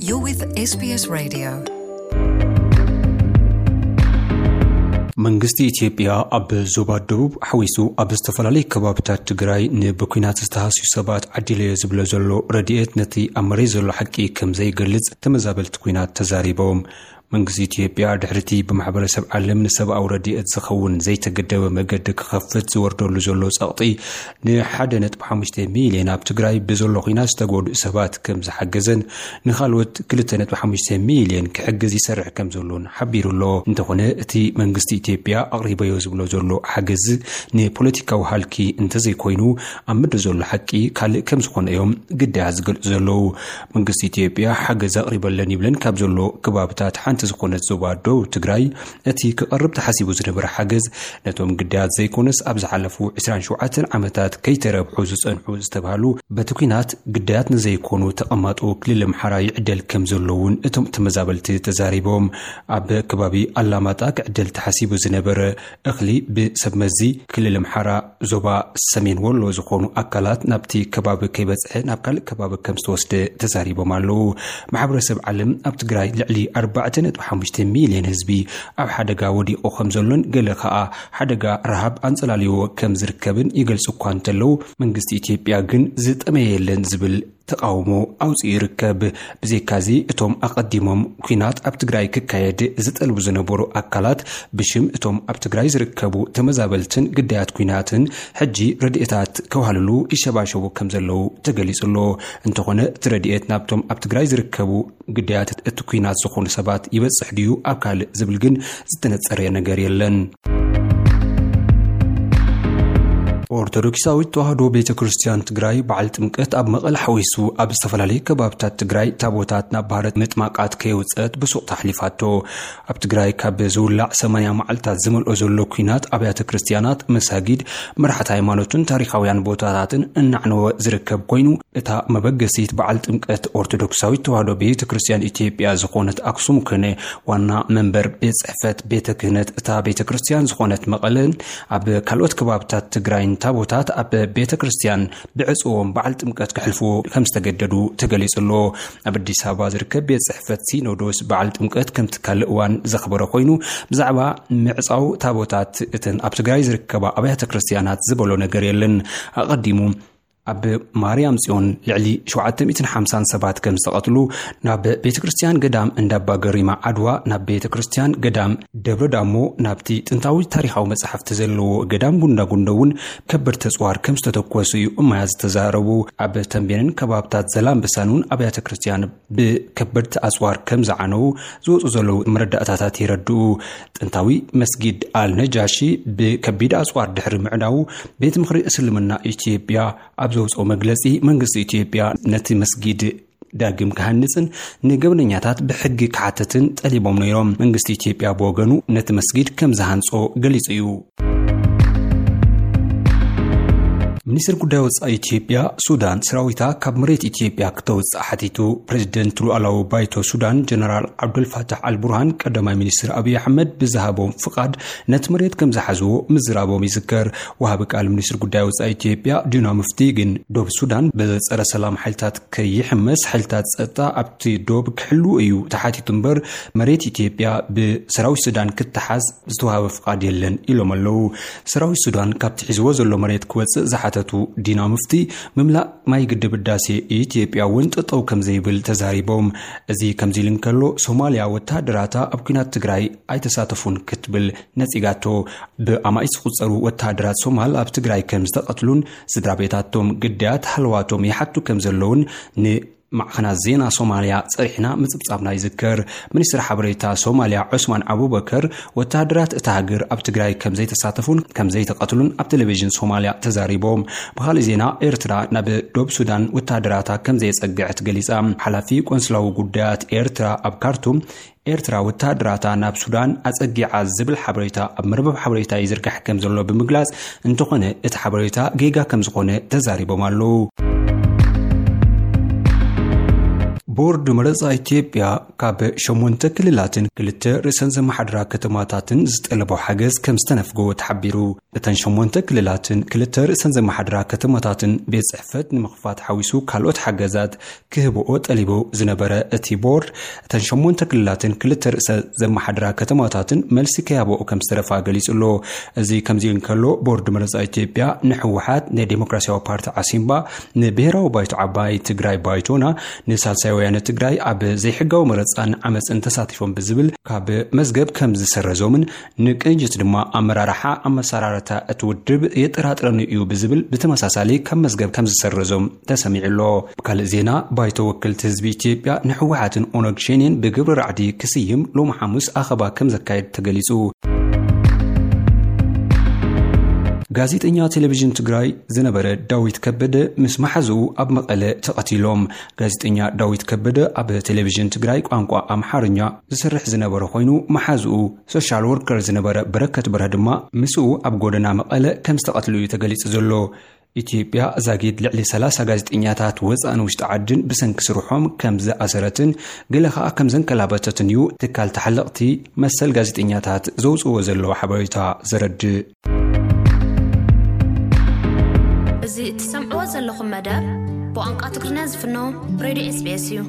You're with S B S Radio. መንግስቲ ኢትዮጵያ ኣብ ዞባ ደቡብ ሓዊሱ ኣብ ዝተፈላለዩ ከባብታት ትግራይ ንብኲናት ዝተሃስዩ ሰባት ዓዲለዮ ዝብሎ ዘሎ ረድኤት ነቲ ኣብ መሬት ዘሎ ሓቂ ከም ዘይገልጽ ተመዛበልቲ ኲናት ተዛሪቦም። መንግስቲ ኢትዮጵያ ድሕሪቲ ብማሕበረሰብ ዓለም ንሰብኣዊ ረድኤት ዝኸውን ዘይተገደበ መገዲ ክኸፍት ዝወርደሉ ዘሎ ጸቕጢ ንሓደ ነጥቢ ሓሙሽተ ሚልዮን ኣብ ትግራይ ብዘሎ ኲናት ዝተጎድኡ ሰባት ከም ዝሓገዘን ንኻልኦት ክልተ ነጥቢ ሓሙሽተ ሚልዮን ክሕግዝ ይሰርሕ ከም ዘሎን ሓቢሩ ኣሎ። እንተኾነ እቲ መንግስቲ ኢትዮጵያ ኣቕሪበዮ ዝብሎ ዘሎ ሓገዝ ንፖለቲካዊ ሃልኪ እንተዘይኮይኑ ኣብ ምድሪ ዘሎ ሓቂ ካልእ ከም ዝኾነ እዮም ግዳያት ዝገልጹ ዘለዉ። መንግስቲ ኢትዮጵያ ሓገዝ ኣቕሪበለን ይብለን ካብ ዘሎ ከባብታት ሓንቲ ዝኾነት ዞባ ደቡብ ትግራይ እቲ ክቐርብ ተሓሲቡ ዝነበረ ሓገዝ ነቶም ግዳያት ዘይኮነስ ኣብ ዝሓለፉ ዕስራን ሸውዓተን ዓመታት ከይተረብሑ ዝጸንሑ ዝተባህሉ በቲ ኲናት ግዳያት ንዘይኮኑ ተቐማጦ ክልል ኣምሓራ ይዕደል ከም ዘሎ እውን እቶም ተመዛበልቲ ተዛሪቦም። ኣብ ከባቢ ኣላማጣ ክዕደል ተሓሲቡ ዝነበረ እኽሊ ብሰብ መዚ ክልል ኣምሓራ ዞባ ሰሜን ወሎ ዝኾኑ ኣካላት ናብቲ ከባቢ ከይበጽሐ ናብ ካልእ ከባቢ ከም ዝተወስደ ተዛሪቦም ኣለዉ። ማሕበረሰብ ዓለም ኣብ ትግራይ ልዕሊ ኣርባዕተ ነጥቢ ሓሙሽተ ሚልዮን ህዝቢ ኣብ ሓደጋ ወዲቑ ከም ዘሎን ገለ ከኣ ሓደጋ ረሃብ ኣንጸላልይዎ ከም ዝርከብን ይገልጹ እኳ እንተለዉ መንግስቲ ኢትዮጵያ ግን ዝጠመየ የለን ዝብል ተቓውሞ ኣውጺኡ ይርከብ። ብዘይካዚ እቶም ኣቐዲሞም ኲናት ኣብ ትግራይ ክካየድ ዝጠልቡ ዝነበሩ ኣካላት ብሽም እቶም ኣብ ትግራይ ዝርከቡ ተመዛበልትን ግዳያት ኲናትን ሕጂ ረድኤታት ከውሃልሉ ይሸባሸቡ ከም ዘለዉ ተገሊጹ ኣሎ። እንተኾነ እቲ ረድኤት ናብቶም ኣብ ትግራይ ዝርከቡ ግዳያት እቲ ኲናት ዝኾኑ ሰባት ይበጽሕ ድዩ ኣብ ካልእ ዝብል ግን ዝተነጸረ ነገር የለን። ኦርቶዶክሳዊት ተዋህዶ ቤተ ክርስቲያን ትግራይ በዓል ጥምቀት ኣብ መቐለ ሓዊሱ ኣብ ዝተፈላለዩ ከባብታት ትግራይ ታቦታት ናብ ባህረ ምጥማቃት ከየውፀት ብሱቕ ኣሕሊፋቶ። ኣብ ትግራይ ካብ ዝውላዕ ሰማንያ መዓልታት ዝመልኦ ዘሎ ኲናት ኣብያተ ክርስቲያናት፣ መሳጊድ፣ መራሕቲ ሃይማኖትን ታሪኻውያን ቦታታትን እናዕነወ ዝርከብ ኮይኑ እታ መበገሲት በዓል ጥምቀት ኦርቶዶክሳዊት ተዋህዶ ቤተ ክርስቲያን ኢትዮጵያ ዝኾነት ኣክሱም ኮነ ዋና መንበር ቤት ጽሕፈት ቤተ ክህነት እታ ቤተ ክርስቲያን ዝኾነት መቐለን ኣብ ካልኦት ከባብታት ትግራይን ታቦታት ኣብ ቤተ ክርስቲያን ብዕጽዎም በዓል ጥምቀት ክሕልፍዎ ከም ዝተገደዱ ተገሊጹ ኣሎ። ኣብ ኣዲስ ኣበባ ዝርከብ ቤት ጽሕፈት ሲኖዶስ በዓል ጥምቀት ከምቲ ካልእ እዋን ዘኽበረ ኮይኑ ብዛዕባ ምዕጻው ታቦታት እተን ኣብ ትግራይ ዝርከባ ኣብያተ ክርስቲያናት ዝበሎ ነገር የለን። ኣቐዲሙ ኣብ ማርያም ጽዮን ልዕሊ ሸውዓተ ሚእትን ሓምሳን ሰባት ከም ዝተቐትሉ፣ ናብ ቤተ ክርስቲያን ገዳም እንዳባ ገሪማ ዓድዋ፣ ናብ ቤተ ክርስቲያን ገዳም ደብረ ዳሞ፣ ናብቲ ጥንታዊ ታሪኻዊ መጽሓፍቲ ዘለዎ ገዳም ጉንዳጉንዶ እውን ከበድቲ ኣጽዋር ከም ዝተተኮሱ እዩ እማያ ዝተዛረቡ። ኣብ ተንቤንን ከባብታት ዘላምበሳን እውን ኣብያተ ክርስቲያን ብከበድቲ ኣጽዋር ከም ዝዓነዉ ዝወጹ ዘለዉ መረዳእታታት የረድኡ። ጥንታዊ መስጊድ ኣል ነጃሺ ብከቢድ ኣጽዋር ድሕሪ ምዕናዉ፣ ቤት ምኽሪ እስልምና ኢትዮጵያ ኣብ ዘውፅኦ መግለፂ፣ መንግስቲ ኢትዮጵያ ነቲ መስጊድ ዳግም ክሃንፅን ንገበነኛታት ብሕጊ ክሓተትን ጠሊቦም ነይሮም። መንግስቲ ኢትዮጵያ ብወገኑ ነቲ መስጊድ ከም ዝሃንጾ ገሊጹ እዩ። ሚኒስትር ጉዳይ ወጻኢ ኢትዮጵያ፣ ሱዳን ሰራዊታ ካብ መሬት ኢትዮጵያ ክተውጽእ ሓቲቱ። ፕሬዚደንት ሉኣላዊ ባይቶ ሱዳን ጀነራል ዓብዱልፋታሕ ኣልቡርሃን ቀዳማይ ሚኒስትር ኣብይ ኣሕመድ ብዝሃቦም ፍቓድ ነቲ መሬት ከም ዝሓዝዎ ምዝራቦም ይዝከር። ወሃቢ ቃል ሚኒስትር ጉዳይ ወጻኢ ኢትዮጵያ ዲና ሙፍቲ ግን ዶብ ሱዳን ብጸረ ሰላም ሓይልታት ከይሕመስ ሓይልታት ጸጥታ ኣብቲ ዶብ ክሕልው እዩ ተሓቲቱ እምበር መሬት ኢትዮጵያ ብሰራዊት ሱዳን ክትሓዝ ዝተዋሃበ ፍቓድ የለን ኢሎም ኣለዉ። ሰራዊት ሱዳን ካብቲ ሒዝዎ ዘሎ መሬት ክወጽእ ዝሓተቱ ዲና ሙፍቲ፣ ምምላእ ማይ ግድብ ህዳሴ ኢትዮጵያ እውን ጠጠው ከም ዘይብል ተዛሪቦም። እዚ ከምዚ ኢሉ እንከሎ፣ ሶማልያ ወተሃደራታ ኣብ ኲናት ትግራይ ኣይተሳተፉን ክትብል ነጺጋቶ። ብኣማኢት ዝቑጸሩ ወተሃደራት ሶማል ኣብ ትግራይ ከም ዝተቐትሉን ስድራ ቤታቶም ግዳያት ሃለዋቶም ይሓቱ ከም ዘለውን ን ማዕኸናት ዜና ሶማልያ ጸሪሕና ምጽብጻብና ይዝከር። ሚኒስትር ሓበሬታ ሶማልያ ዑስማን ኣቡበከር፣ ወተሃደራት እታ ሃገር ኣብ ትግራይ ከም ዘይተሳተፉን ከም ዘይተቐትሉን ኣብ ቴሌቪዥን ሶማልያ ተዛሪቦም። ብኻልእ ዜና፣ ኤርትራ ናብ ዶብ ሱዳን ወተሃደራታ ከም ዘየጸግዐት ገሊጻ። ሓላፊ ቆንስላዊ ጉዳያት ኤርትራ ኣብ ካርቱም፣ ኤርትራ ወተሃደራታ ናብ ሱዳን ኣጸጊዓ ዝብል ሓበሬታ ኣብ መርበብ ሓበሬታ ይዝርጋሕ ከም ዘሎ ብምግላጽ፣ እንተኾነ እቲ ሓበሬታ ጌጋ ከም ዝኾነ ተዛሪቦም ኣለዉ። ቦርድ መረፃ ኢትዮጵያ ካብ ሸሞንተ ክልላትን ክልተ ርእሰን ዘመሓድራ ከተማታትን ዝጠለቦ ሓገዝ ከም ዝተነፍጎ ተሓቢሩ። እተን ሸሞንተ ክልላትን ክልተ ርእሰን ዘመሓድራ ከተማታትን ቤት ጽሕፈት ንምኽፋት ሓዊሱ ካልኦት ሓገዛት ክህብኦ ጠሊቡ ዝነበረ እቲ ቦርድ፣ እተን ሸሞንተ ክልላትን ክልተ ርእሰ ዘመሓድራ ከተማታትን መልሲ ከያብኦ ከም ዝተረፋ ገሊጹ ኣሎ። እዚ ከምዚ እንከሎ፣ ቦርድ መረፃ ኢትዮጵያ ንህወሓት፣ ንዴሞክራሲያዊ ፓርቲ ዓሲምባ፣ ንብሔራዊ ባይቶ ዓባይ ትግራይ ባይቶና፣ ንሳልሳይ ወያነ ትግራይ ኣብ ዘይሕጋዊ መረፃን ዓመፅን ተሳቲፎም ብዝብል ካብ መዝገብ ከም ዝሰረዞምን ንቅንጅት ድማ ኣመራርሓ ኣመሰራርታ እቲ ውድብ የጠራጥረኒ እዩ ብዝብል ብተመሳሳሊ ካብ መዝገብ ከም ዝሰረዞም ተሰሚዑ ኣሎ። ብካልእ ዜና፣ ባይቶ ወክልቲ ህዝቢ ኢትዮጵያ ንህወሓትን ኦነግ ሸኔን ብግብሪ ራዕዲ ክስይም ሎሚ ሓሙስ ኣኸባ ከም ዘካየድ ተገሊጹ። ጋዜጠኛ ቴሌቪዥን ትግራይ ዝነበረ ዳዊት ከበደ ምስ መሓዝኡ ኣብ መቐለ ተቐቲሎም። ጋዜጠኛ ዳዊት ከበደ ኣብ ቴሌቪዥን ትግራይ ቋንቋ ኣምሓርኛ ዝሰርሕ ዝነበረ ኮይኑ፣ መሓዝኡ ሶሻል ወርከር ዝነበረ በረከት በርሀ ድማ ምስኡ ኣብ ጎደና መቐለ ከም ዝተቐትሉ እዩ ተገሊጹ ዘሎ። ኢትዮጵያ ዛጊድ ልዕሊ ሰላሳ ጋዜጠኛታት ወፃእን ውሽጢ ዓድን ብሰንኪ ስርሖም ከም ዝኣሰረትን ገለ ኸኣ ከም ዘንከላበተትን እዩ ትካል ተሓለቕቲ መሰል ጋዜጠኛታት ዘውፅዎ ዘለዋ ሓበሬታ ዘረድእ። እዚ እትሰምዕዎ ዘለኹም መደብ ብቋንቋ ትግርኛ ዝፍኖ ሬድዮ ኤስቢኤስ እዩ።